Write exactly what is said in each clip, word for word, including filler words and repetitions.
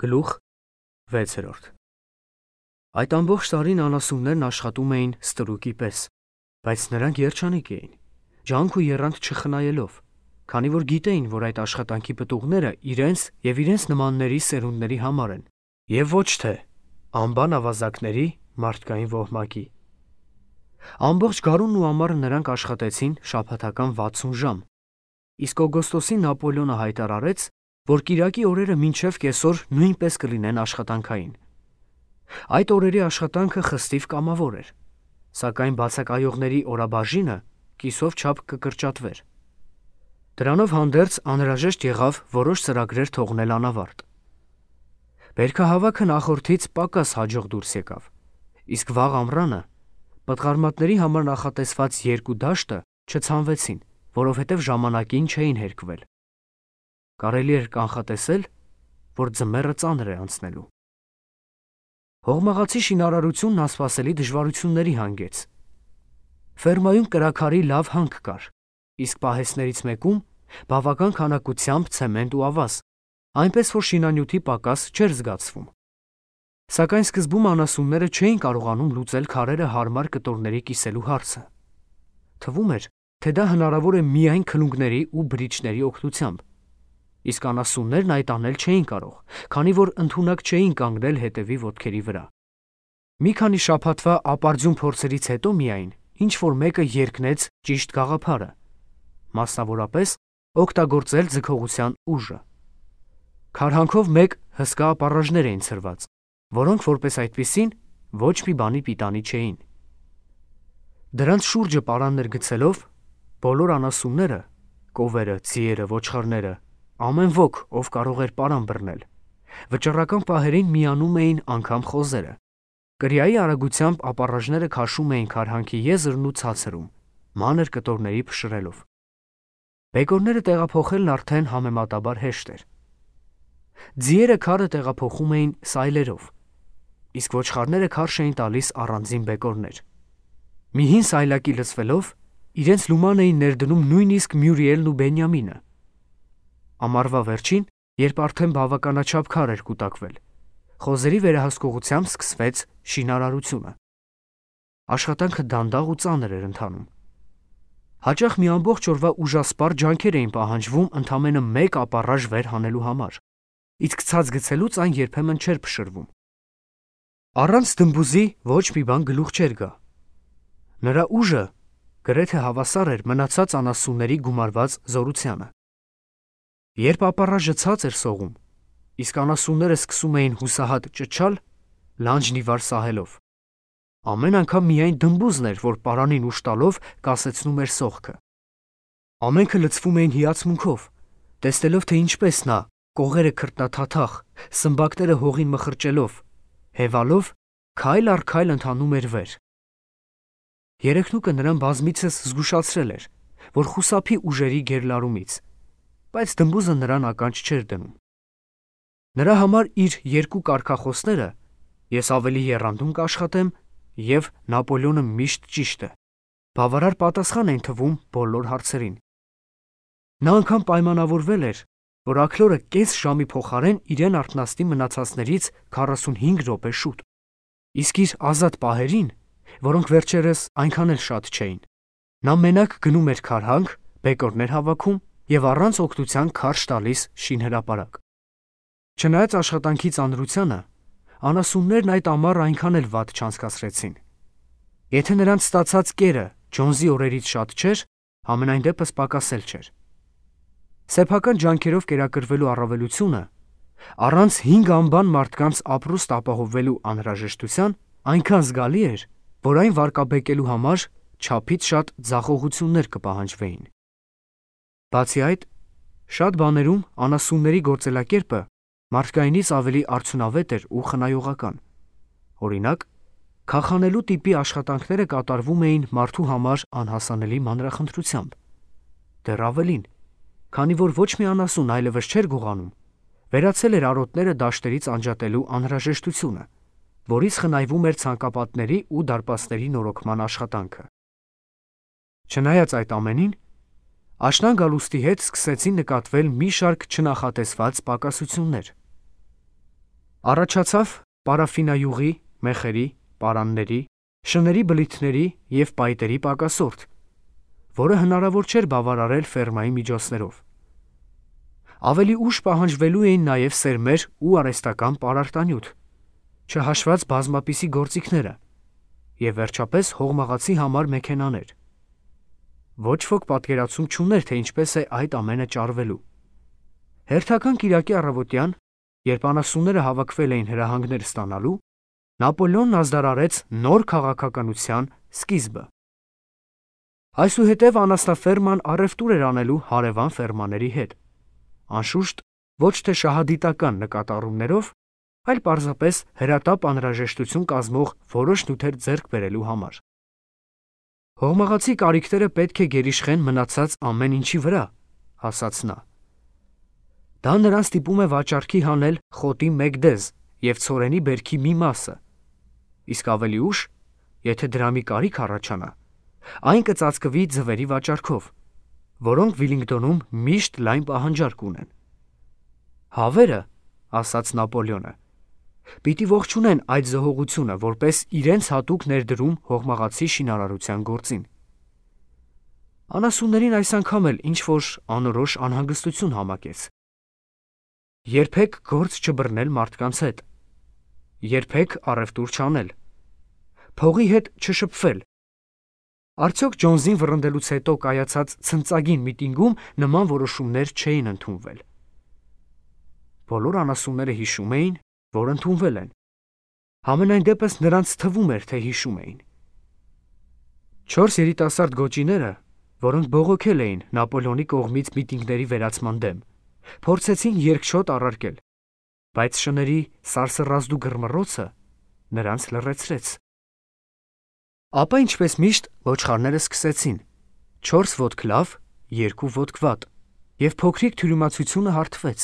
Գլուխ վեցերորդ Այդ ամբողջ տարին անասուններն աշխատում էին ստրուկի պես, բայց նրանք երջանիկ էին, ջանք ու եռանդ չխնայելով, քանի որ գիտեին, որ այդ աշխատանքի պտուղները իրենց և իրենց նմանների սերունդների համար են, և ոչ թե անբան ավազակների մարդկային ոհմակի։ Ամբողջ գարունն ու ամառը նրանք աշխատեցին շաբաթական վաթսուն ժամ, իսկ օգոստոսին Նապոլեոնը հայտարարեց, որ կիրակի օրերը մինչև կեսօր նույնպես կլինեն աշխատանքային։ Այդ օրերի աշխատանքը խստիվ կամավոր էր, սակայն բացակայողների օրաբաժինը կիսով չափ կկրճատվեր։ Դրանով հանդերձ անհրաժեշտ եղավ որոշ ծրագրեր թողնել անավարտ։ Բերքահավաքը նախորդից պակաս հաջող դուրս եկավ, իսկ վաղ ամռանը պտղարմատների համար նախատեսված երկու դաշտը չցանվեցին, որովհետև ժամանակին չէին հերկվել։ Կարելի էր կանխատեսել, որ ձմեռը ծանր է անցնելու։ Հողմաղացի շինարարությունն անսպասելի դժվարությունների հանգեց։ Ֆերմայում կրաքարի լավ հանք կար, իսկ պահեստներից մեկում բավական քանակությամբ ցեմենտ ու ավազ, այնպես որ շինանյութի պակաս չէր զգացվում։ Սակայն սկզբում անասունները չէին կարողանում լուծել քարերը հարմար կտորների կիսելու հարցը։ Թվում էր, թե դա հնարավոր է միայն քլունգների ու բրիչների օգնությամբ, իսկ անասուններն այդ անել չէին կարող, քանի որ ընդունակ չէին կանգնել հետևի ոտքերի վրա։ Մի քանի շաբաթվա ապարդյուն փորձերից հետո միայն ինչ-որ մեկը երգնեց ճիշտ գաղափարը, մասնավորապես օգտագործել ձգողության ուժը։ Քարհանքով մեկ հսկա ապառաժներ էին ցրված, որոնք որպես այդպիսին ոչ մի բանի պիտանի չէին։ Դրանց շուրջը պարաններ գցելով, բոլոր անասունները, կովերը, ձիերը, ոչխարները, ամեն ոք, ով կարող էր պարան բռնել, վճռական պահերին միանում էին անգամ խոզերը։ Կրիայի արագությամբ ապառաժները քաշում էին քարհանքի եզրն ու ցածրում, մանր կտորների փշրելով։ Բեկորները տեղափոխելն արդեն համեմատաբար հեշտ էր։ Ձիերը քարը տեղափոխում էին սայլերով, իսկ ոչխարները քարշ էին տալիս առանձին բեկորներ։ Մի հին սայլակի լցվելով, իրենց լուման էին ներդնում նույնիսկ Մյուրիելն ու Բենյամինը։ Ամառվա վերջին, երբ արդեն բավականաչափ քար էր կուտակվել, խոզերի վերահսկողությամբ սկսվեց շինարարությունը։ Աշխատանքը դանդաղ ու ծանր էր ընթանում։ Հաճախ մի ամբողջ օրվա ուժասպառ ջանքեր էին պահանջվում ընդամենը մեկ ապառաժ վեր հանելու համար, իսկ ցած գցելուց այն երբեմն չէր փշրվում։ Առանց դմբուզի ոչ մի բան գլուխ չէր գա։ Նրա ուժը գրեթե հավասար էր մնացած անասունների գումարված զորությանը։ Երբ ապառաժը ցած էր սողում, իսկ անասունները սկսում էին հուսահատ ճչալ, լանջն ի վար սահելով, ամեն անգամ միայն դմբուզն էր, որ պարանին ուժ տալով կասեցնում էր սողքը։ Ամենքը լցվում էին հիացմունքով, տեսնելով, թե ինչպես նա, կողերը քրտնաթաթախ, սմբակները հողին մխրճելով, հևալով, քայլ առ քայլ ընթանում էր վեր։ Երեքնուկը նրան բազմիցս զգուշացրել էր, որ խուսափի ուժերի գերլարումից, բայց դմբուզը նրան ականջ չէր դնում։ Նրա համար իր երկու կարգախոսները՝ «Ես ավելի եռանդուն կաշխատեմ» և «Նապոլեոնը միշտ ճիշտ է» բավարար պատասխան էին թվում բոլոր հարցերին։ Նա անգամ պայմանավորվել էր, որ աքլորը կես ժամի փոխարեն իրեն արթնացնի մնացածներից քառասունհինգ րոպե շուտ, իսկ իր ազատ պահերին, որոնք վերջերս այնքան էլ շատ չէին, նա մենակ գնում էր քարհանք, բեկորներ հավաքում և առանց օգնության քարշ տալիս շինհրապարակ։ Չնայած աշխատանքի ծանրությանը, անասուններն այդ ամառը այնքան էլ վատ չանցկացրեցին։ Եթե նրանց ստացած կերը Ջոնսի օրերից շատ չէր, համենայն դեպս պակասել չէր։ Սեփական ջանքերով կերակրվելու առավելությունը, առանց հինգ անբան մարդկանց ապրուստ ապահովելու անհրաժեշտության, այնքան զգալի էր, որ այն վարկաբեկելու համար չափից շատ ձախողություններ կպահանջվեին։ Բացի այդ, շատ բաներում անասունների գործելակերպը մարդկայինից ավելի արդյունավետ էր ու խնայողական։ Օրինակ, քախանելու տիպի աշխատանքները կատարվում էին մարդու համար անհասանելի մանրախնդրությամբ։ Դեռ ավելին, քանի որ ոչ մի անասուն այլևս չէր գողանում, վերացել էր արոտները դաշտերից անջատելու անհրաժեշտությունը, որից խնայվում էր ցանկապատների ու դարպասների նորոգման աշխատանքը։ Չնայած այդ ամենին, աշնան գալուստի հետ սկսեցին նկատվել մի շարք չնախատեսված պակասություններ։ Առաջացավ պարաֆինայուղի, մեխերի, պարանների, շների բլիթների և պայտերի պակասորդ, որը հնարավոր չէր բավարարել ֆերմայի միջոցներով։ Ավելի ուշ պահանջվելու էին նաև սերմեր ու արհեստական պարարտանյութ, չհաշված բազմապիսի գործիքները, և վերջապես հողմաղացի համար մեքենաներ։ Ոչ ոք պատկերացում չուներ, թե ինչպես է այդ ամենը ճարվելու։ Հերթական կիրակի առավոտյան, երբ անասունները հավաքվել էին հրահանգներ ստանալու, Նապոլեոնն ազդարարեց նոր քաղաքականության սկիզբը։ Այսուհետև անասնաֆերման առևտուր էր անելու հարևան ֆերմաների հետ, անշուշտ ոչ թե շահադիտական նկատառումներով, այլ պարզապես հրատապ անհրաժեշտություն կազմող որոշ նյութեր ձեռք բերելու համար։ Հողմաղացի կարիքները պետք է գերիշխեն մնացած ամեն ինչի վրա, ասաց նա։ Դա նրան ստիպում է վաճառքի հանել խոտի մեկ դեզ և ցորենի բերքի մի մասը, իսկ ավելի ուշ, եթե դրամի կարիք առաջանա, այն կծածկվի ձվերի վաճառքով, որոնք Վիլինգտոնում միշտ լայն պահանջարկ ունեն։ Հավերը, ասաց Նապոլեոնը, պիտի ողջունեն այդ զոհողությունը որպես իրենց հատուկ ներդրում հողմաղացի շինարարության գործին։ Անասուններին այս անգամ էլ ինչ-որ անորոշ անհանգստություն համակեց։ Երբեք գործ չբռնել մարդկանց հետ, երբեք առևտուր չանել, փողի հետ չշփվել։ Արդյոք Ջոնսին վռնդելուց հետո կայացած ցնծագին միտինգում նման որոշումներ չէին ընդունվել։ Բոլոր անասունները հիշում էին, որ ընդունվել են։ Համենայն դեպս նրանց թվում էր, թե հիշում էին։ Չորս երիտասարդ գոճիները, որոնք բողոքել էին Նապոլեոնի կողմից միտինգների վերացման դեմ, փորձեցին երկչոտ առարկել, բայց շների սարսռազդու գրմռոցը նրանց լռեցրեց։ Ապա ինչպես միշտ ոչխարները սկսեցին. չորս ոտք լավ, երկու ոտք վատ, և փոքրիկ թյուրիմացությունը հարթվեց։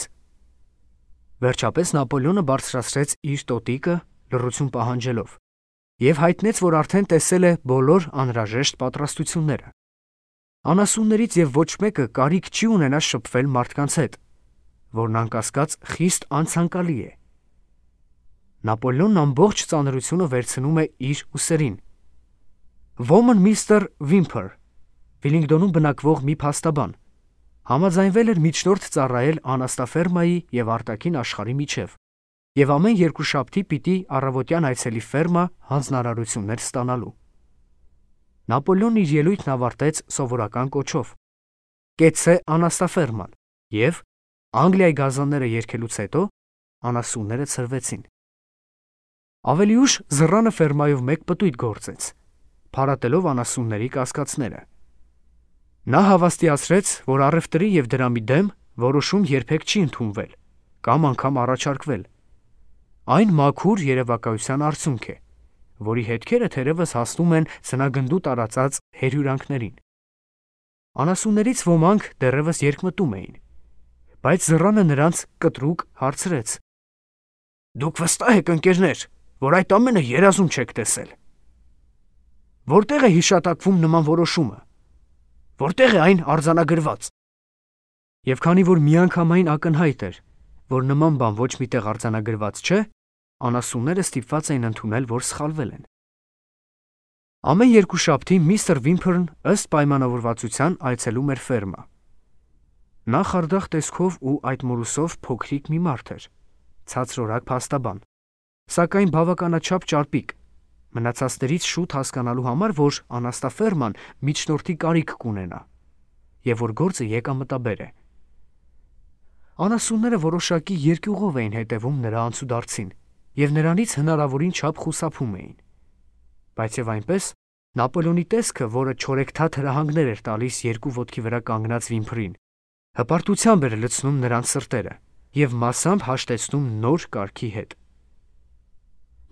Վերջապես Նապոլեոնը բարձրացրեց իր տոտիկը, լռություն պահանջելով, և հայտնեց, որ արդեն տեսել է բոլոր անհրաժեշտ պատրաստությունները։ Անասուններից և ոչ մեկը կարիք չի ունենա շփվել մարդկանց հետ, որն անկասկած խիստ անցանկալի է։ Նապոլեոնն ամբողջ ծանրությունը վերցնում է իր ուսերին։ Ոմն միստր Վիմփեր, Վիլինգտոնում բնակվող մի փաստաբան, համաձայնվել էր միջնորդ ծառայել անասնաֆերմայի և արտաքին աշխարհի միջև, և ամեն երկուշաբթի պիտի առավոտյան այցելի ֆերմա հանձնարարություններ ստանալու։ Նապոլեոնն իր ելույթն ավարտեց սովորական կոչով. «Կեցցե անասնաֆերման», և Անգլիայի գազանները երգելուց հետո անասունները ցրվեցին։ Ավելի ուշ զռանը ֆերմայով մեկ պտույտ գործեց, փարատելով անասունների կասկածները։ Նա հավաստիացրեց, որ առևտրի և դրամի դեմ որոշում երբեք չի ընդունվել կամ անգամ առաջարկվել։ Այն մաքուր երևակայության արդյունք է, որի հետքերը թերևս հասնում են ձնագնդու տարածած հերյուրանքներին։ Անասուններից ոմանք դեռևս երկմտում էին, բայց զռանը նրանց կտրուկ հարցրեց. «Դուք վստահ եք, ընկերներ, որ այդ ամենը երազում չեք տեսել։ Որտե՞ղ է հիշատակվում նման որոշումը, որտե՞ղ է այն արձանագրված»։ Եվ քանի որ միանգամայն ակնհայտ էր, որ նման բան ոչ միտեղ արձանագրված չէ, անասունները ստիպված էին ընդունել, որ սխալվել են։ Ամեն երկուշաբթի միստր Վիմփերն ըստ պայմանավորվածության այցելում էր ֆերմա։ Նա խարդախ տեսքով ու այդ մորուսով փոքրիկ մի մարդ էր, ցածրորակ փաստաբան, սակայն բավականաչափ ճարպիկ, մնացածներից շուտ հասկանալու համար, որ անասնաֆերման միջնորդի կարիք կունենա, և որ գործը եկամտաբեր է։ Անասունները որոշակի երկյուղով էին հետևում նրա անցուդարձին և նրանից հնարավորին չափ խուսափում էին։ Բայց և այնպես, Նապոլեոնի տեսքը, որը չորեքթաթ հրահանգներ էր տալիս երկու ոտքի վրա կանգնած Վիմփրին, հպարտությամբ էր լցնում նրանց սրտերը և մասամբ հաշտեցնում նոր կարգի հետ։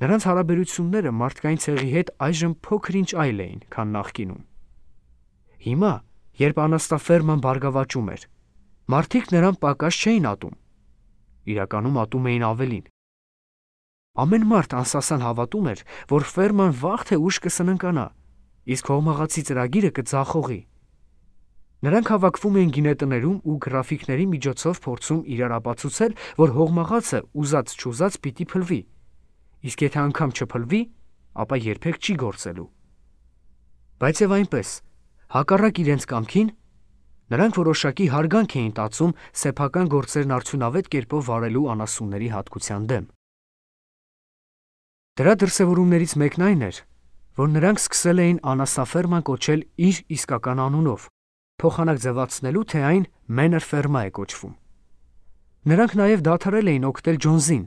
Նրանց հարաբերությունները մարդկային ցեղի հետ այժմ փոքր-ինչ այլ էին, քան նախկինում։ Հիմա, երբ անասնաֆերման բարգավաճում էր, մարդիկ նրան պակաս չէին ատում, իրականում ատում էին ավելին։ Ամեն մարդ անսասան հավատում էր, որ ֆերման վաղ թե ուշ կսննկանա, իսկ հողմաղացի ծրագիրը կձախողի։ Նրանք հավաքվում էին գինետներում ու գրաֆիկների միջոցով փորձում իրար ապացուցել, որ հողմաղացը ուզած-չուզած պիտի փլվի, իսկ եթե անգամ չփլվի, ապա երբեք չի գործելու։ Բայց եւ այնպես, հակառակ իրենց կամքին, նրանք որոշակի հարգանք էին տածում սեփական գործերն արդյունավետ կերպով վարելու անասունների հատկության դեմ։ Դրա դրսևորումներից մեկն այն էր, որ նրանք սկսել էին անասնաֆերման կոչել իր իսկական անունով, փոխանակ ձևացնելու, թե այն Manor Ferma է կոչվում։ Նրանք նաև դադարել էին օգնել Ջոնսին,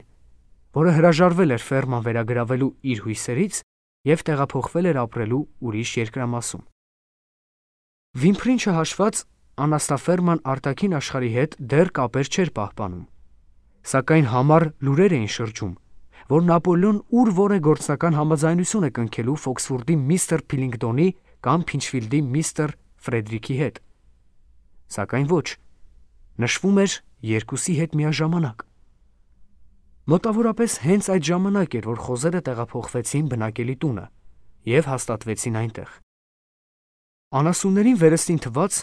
որը հրաժարվել էր ֆերման վերագրավելու իր հույսերից և տեղափոխվել էր ապրելու ուրիշ երկրամասում։ Վիմփրին չհաշված, անասնաֆերման արտաքին աշխարհի հետ դեռ կապեր չէր պահպանում, սակայն համառ լուրեր էին շրջում, որ Նապոլեոն ուր որ է գործնական համաձայնություն է կնքելու Ֆոքսվուրդի միստր Փիլինգտոնի կամ Փինչֆիլդի միստր Ֆրեդրիքի հետ, սակայն ոչ, նշվում էր երկուսի հետ միաժամանակ։ Մոտավորապես հենց այդ ժամանակ էր, որ խոզերը տեղափոխվեցին բնակելի տունը և հաստատվեցին այնտեղ։ Անասուններին վերստին թվաց,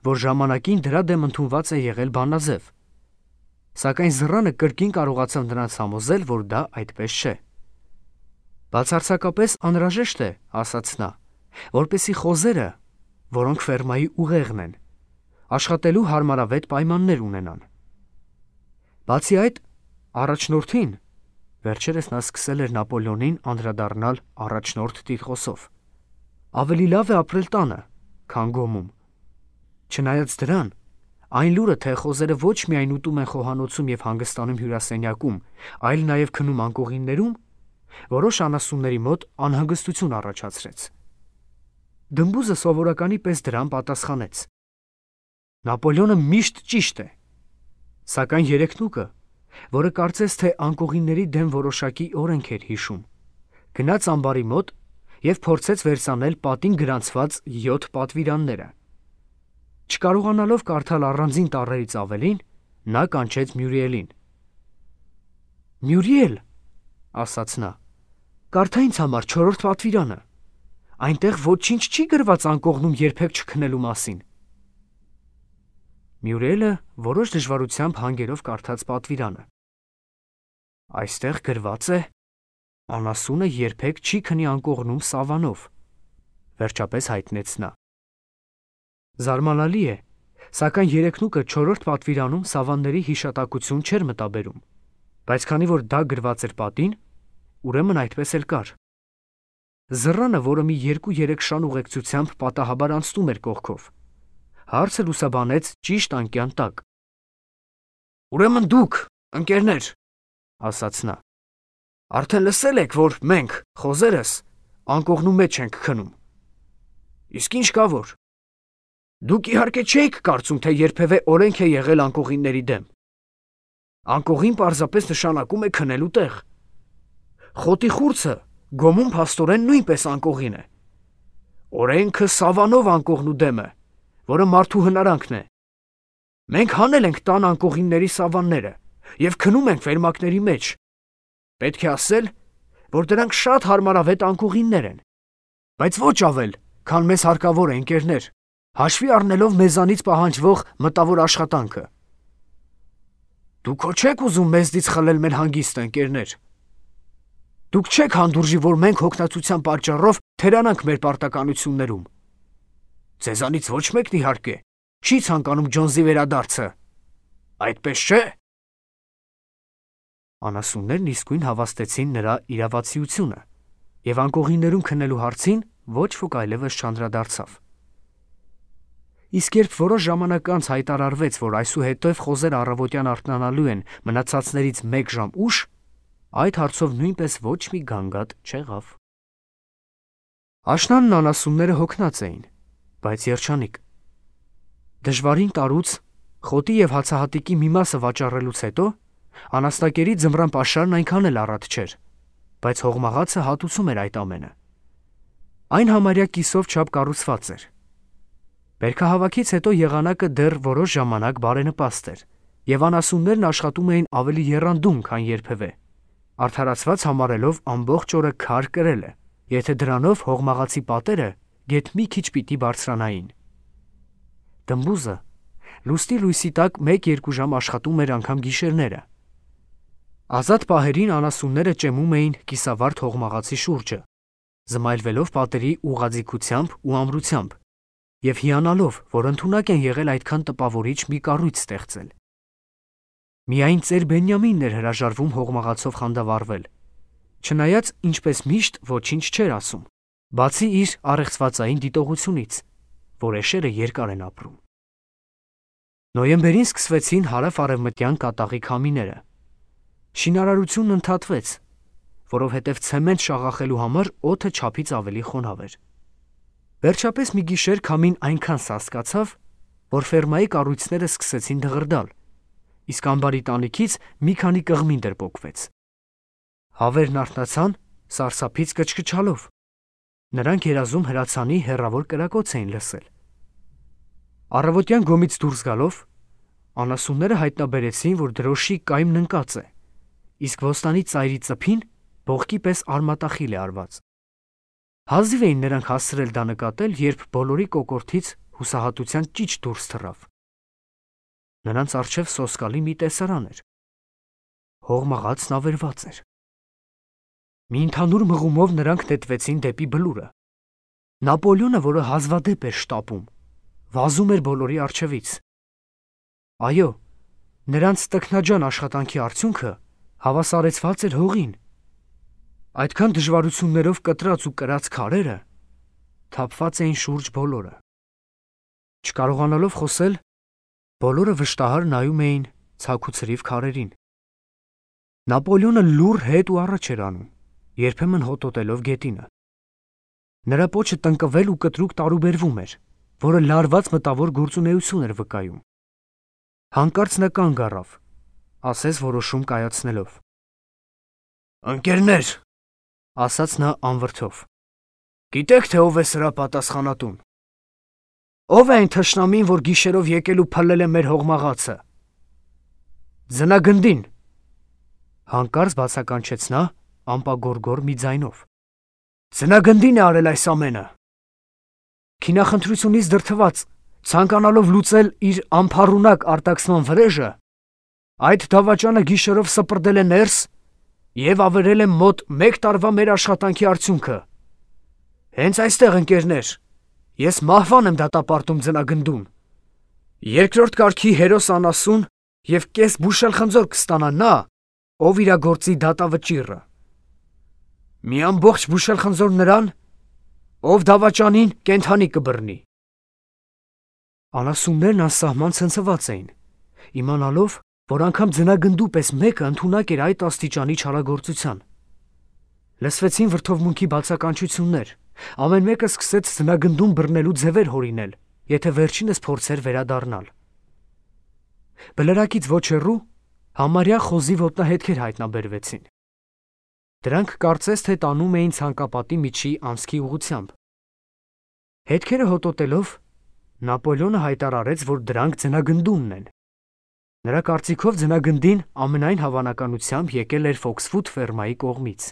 որ ժամանակին դրա դեմ ընդունված է եղել բանաձև, սակայն Զռանը կրկին կարողացավ նրանց համոզել, որ դա այդպես չէ։ Բացարձակապես անհրաժեշտ է, ասաց նա, որպեսզի խոզերը, որոնք ֆերմայի ուղեղն են, աշխատելու հարմարավետ պայմաններ ունենան։ Բացի այդ, առաջնորդին, վերջերս նա սկսել էր Նապոլեոնին անդրադառնալ առաջնորդ տիտղոսով, ավելի լավ է ապրել տանը, քան գոմում։ Չնայած դրան, այն լուրը, թե խոզերը ոչ միայն ուտում են խոհանոցում և հանգստանում հյուրասենյակում, այլ նաև քնում անկողիններում, որոշ անասունների մոտ անհանգստություն առաջացրեց։ Դմբուզը սովորականի պես դրան պատասխանեց. Նապոլեոնը միշտ ճիշտ է, սակայն երեքնուկը, որը կարծես թե անկողինների դեմ որոշակի օրենք էր հիշում, գնաց ամբարի մոտ և փորձեց վերցանել պատին գրանցված յոթ պատվիրանները։ Չկարողանալով կարդալ առանձին տառերից ավելին, նա կանչեց Մյուրիելին։ Մյուրիել, ասաց նա, կարդա ինձ համար չորրորդ պատվիրանը, այնտեղ ոչինչ չի գրված անկողնում երբեք չքնելու մասին։ Մյուրիելը որոշ դժվարությամբ հանգերով կարդաց պատվիրանը։ Այստեղ գրված է. անասունը երբեք չի քնի անկողնում սավանով, վերջապես հայտնեց նա։ Զարմանալի է, սակայն երեքնուկը չորրորդ պատվիրանում սավանների հիշատակություն չէր մտաբերում, բայց քանի որ դա գրված էր պատին, ուրեմն այդպես էլ կար։ Զռանը, որը մի երկու-երեք շան ուղեկցությամբ պատահաբար անցնում էր կողքով, հարցը լուսաբանեց ճիշտ անկյան տակ։ Ուրեմն դուք, ընկերներ, ասաց նա, արդեն լսել եք, որ մենք, խոզերս, անկողնու մեջ ենք քնում։ Իսկ ինչ կա որ։ Դուք իհարկե չէիք կարծում, թե երբևէ օրենք է եղել անկողինների դեմ։ Անկողին պարզապես նշանակում է քնելու տեղ։ Խոտի խուրձը գոմում փաստորեն նույնպես անկողին է։ Օրենքը սավանով անկողնու դեմ է, որը մարդու հնարանքն է։ Մենք հանել ենք տան անկողինների սավանները և քնում ենք վերմակների մեջ։ Պետք է ասել, որ դրանք շատ հարմարավետ անկողիններ են, բայց ոչ ավել, քան մեզ հարկավոր է, ընկերներ, հաշվի առնելով մեզանից պահանջվող մտավոր աշխատանքը։ Դուք հո չեք ուզում մեզնից խլել մեր հանգիստը, ընկերներ։ Դուք չեք հանդուրժի, որ մենք հոգնածության պատճառով թերանանք մեր պարտականություններում։ Ձեզանից ոչ մեկն իհարկե չի ցանկանում Ջոնսի վերադարձը, այդպես չէ։ Անասուններն իսկույն հավաստեցին նրա իրավացիությունը, և անկողիններում քնելու հարցին ոչ ոք այլևս չանդրադարձավ։ Իսկ երբ որոշ ժամանակ անց հայտարարվեց, որ այսուհետև խոզերը առավոտյան արթնանալու են մնացածներից մեկ ժամ ուշ, այդ հարցով նույնպես ոչ մի գանգատ չեղավ։ Աշնանն անասունները հոգնած էին, բայց երջանիկ։ Դժվարին տարուց, խոտի և հացահատիկի մի մասը վաճառելուց հետո, անասնակերի ձմռան պաշարն այնքան էլ առատ չէր, բայց հողմաղացը հատուցում էր այդ ամենը։ Այն համարյա կիսով չափ կառուցված էր։ Բերքահավաքից հետո եղանակը դեռ որոշ ժամանակ բարենպաստ էր, և անասուններն աշխատում էին ավելի եռանդուն, քան երբևէ, արդարացված համարելով ամբողջ օրը քար կրելը, եթե դրանով հողմաղացի պատերը գեթ մի քիչ պիտի բարձրանային։ Դմբուզը լուսնի լույսի տակ մեկ-երկու ժամ աշխատում էր անգամ գիշերները։ Ազատ պահերին անասունները ճեմում էին կիսավարդ հողմաղացի շուրջը, զմայլվելով պատերի ուղղաձիգությամբ ու ամրությամբ և հիանալով, որ ընդունակ են եղել այդքան տպավորիչ մի կառույց ստեղծել։ Միայն ծեր Բենյամինն էր հրաժարվում հողմաղացով խանդավառվել, չնայած ինչպես միշտ ոչինչ չէր ասում, բացի իր առեղծվածային դիտողությունից, որ էշերը երկար են ապրում։ Նոյեմբերին սկսվեցին հարավ-արևմտյան կատաղի քամիները։ Շինարարությունն ընդհատվեց, որովհետև ցեմենտ շաղախելու համար օդը չափից ավելի խոնավ էր։ Վերջապես մի գիշեր քամին այնքան սաստկացավ, որ ֆերմայի կառույցները սկսեցին դղրդալ, իսկ ամբարի տանիքից մի քանի կղմինդ պոկվեց։ Հավերն արթնացան սարսափից կչկչալով։ Նրանք երազում հրացանի հեռավոր կրակոց էին լսել։ Առավոտյան գոմից դուրս գալով, անասունները հայտնաբերեցին, որ դրոշի կայմն ընկած է, իսկ ոստանի ծայրի ծփին բողկի պես արմատախիլ է արված։ Հազիվ էին նրանք հասցրել դա նկատել, երբ բոլորի կոկորդից հուսահատության ճիչ դուրս թռավ։ Նրանց առջև սոսկալի մի տեսարան էր։ Հողմաղացն ավերված էր։ Մի ընդհանուր մղումով նրանք նետվեցին դեպի բլուրը։ Նապոլեոնը, որը հազվադեպ էր շտապում, վազում էր բոլորի առջևից։ Այո, նրանց տքնաջան աշխատանքի արդյունքը հավասարեցված էր հողին։ Այդքան դժվարություններով կտրած ու կրած քարերը թափված էին շուրջ բոլորը։ Չկարողանալով խոսել, բոլորը վշտահար նայում էին ցաքուցրիվ քարերին։ Նապոլեոնը լուռ հետ ու առաջ էր անում, երբեմն հոտոտելով գետինը։ Նրա պոչը տնկվել ու կտրուկ տարուբերվում էր, որը լարված մտավոր գործունեություն էր վկայում։ Հանկարծ նա կանգ առավ, ասես որոշում կայացնելով։ «Ընկերներ», ասաց նա անվրդով, «գիտեք, թե ով է սրա պատասխանատուն։ Ով է այն թշնամին, որ գիշերով եկել ու փլել է մեր հողմաղացը։ Ձնագնդին», հանկարծ բացականչեց նա ամպագորգոր մի ձայնով։ «Ձնագնդին է արել այս ամենը»։ Քինախնդրությունից դրդված, ցանկանալով լուծել իր անփառունակ արտաքսման վրեժը, այդ դավաճանը գիշերով սպրդել է ներս և ավերել է մոտ մեկ տարվա մեր աշխատանքի արդյունքը։ Հենց այստեղ, ընկերներ, ես մահվան եմ դատապարտում ձնագնդուն։ Երկրորդ կարգի հերոս անասուն և կես բուշել խնձոր կստանա նա, ով իրագործի դատավճիռը։ Մի ամբողջ բուշել խնձոր նրան, ով դավաճանին կենդանի կբռնի։ Անասուններն անսահման ցնցված էին, իմանալով, որ անգամ ձնագնդու պես մեկը ընդունակ էր այդ աստիճանի չարագործության։ Լսվեցին վրդովմունքի բացականչություններ, ամեն մեկը սկսեց ձնագնդուն բռնելու ձևեր հորինել, եթե վերջինս փորձեր վերադառնալ։ Բլրակից ոչ հեռու համարյա խոզի ոտնահետքեր հայտնաբերվեցին։ Դրանք կարծես թե տանում էին ցանկապատի միջի անցքի ուղղությամբ։ Հետքերը հոտոտելով, Նապոլեոնը հայտարարեց, որ դրանք ձնագնդունն են։ Նրա կարծիքով ձնագնդին ամենայն հավանականությամբ եկել էր Ֆոքսվուդ ֆերմայի կողմից։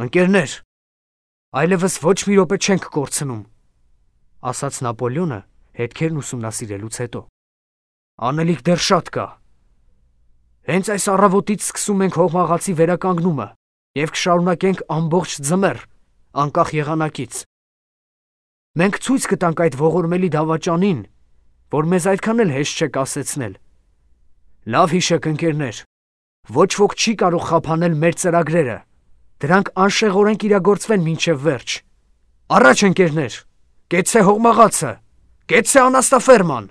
«Ընկերներ, այլևս ոչ մի րոպե չենք կորցնում», ասաց Նապոլեոնը հետքերն ուսումնասիրելուց հետո։ «Անելիք դեռ շատ կա։ Հենց այս առավոտից սկսում ենք հողմաղացի վերականգնումը և կշարունակենք ամբողջ ձմեռ, անկախ եղանակից։ Մենք ցույց կտանք այդ ողորմելի դավաճանին, որ մեզ այդքան էլ հեշտ չէ կասեցնել։ Լավ հիշեք, ընկերներ, ոչ ոք չի կարող խափանել մեր ծրագրերը, դրանք անշեղորեն կիրագործվեն մինչև վերջ։ Առաջ, ընկերներ, կեցցե հողմաղացը, կեցցե անաստաֆերման»։